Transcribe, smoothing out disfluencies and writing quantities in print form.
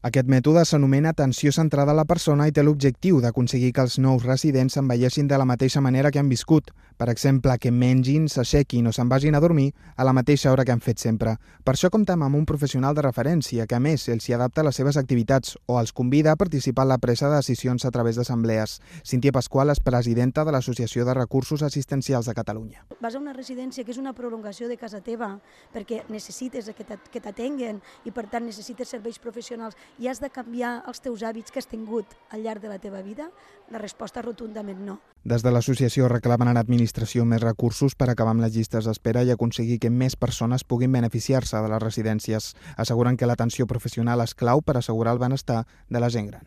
Aquest mètode s'anomena atenció centrada a la persona i té l'objectiu d'aconseguir que els nous residents s'envelleixin de la mateixa manera que han viscut. Per exemple, que mengin, s'aixequin o se'n vagin a dormir a la mateixa hora que han fet sempre. Per això comptem amb un professional de referència que, a més, els hi adapta les seves activitats o els convida a participar en la presa de decisions a través d'assemblees. Cíntia Pasqual és presidenta de l'Associació de Recursos Assistencials de Catalunya. Vas a una residència que és una prolongació de casa teva perquè necessites que t'atenguen i per tant necessites serveis professionals i has de canviar els teus hàbits que has tingut al llarg de la teva vida? La resposta rotundament no. Des de l'associació reclamen a l'administració més recursos per acabar amb les llistes d'espera i aconseguir que més persones puguin beneficiar-se de les residències. Asseguren que l'atenció professional és clau per assegurar el benestar de la gent gran.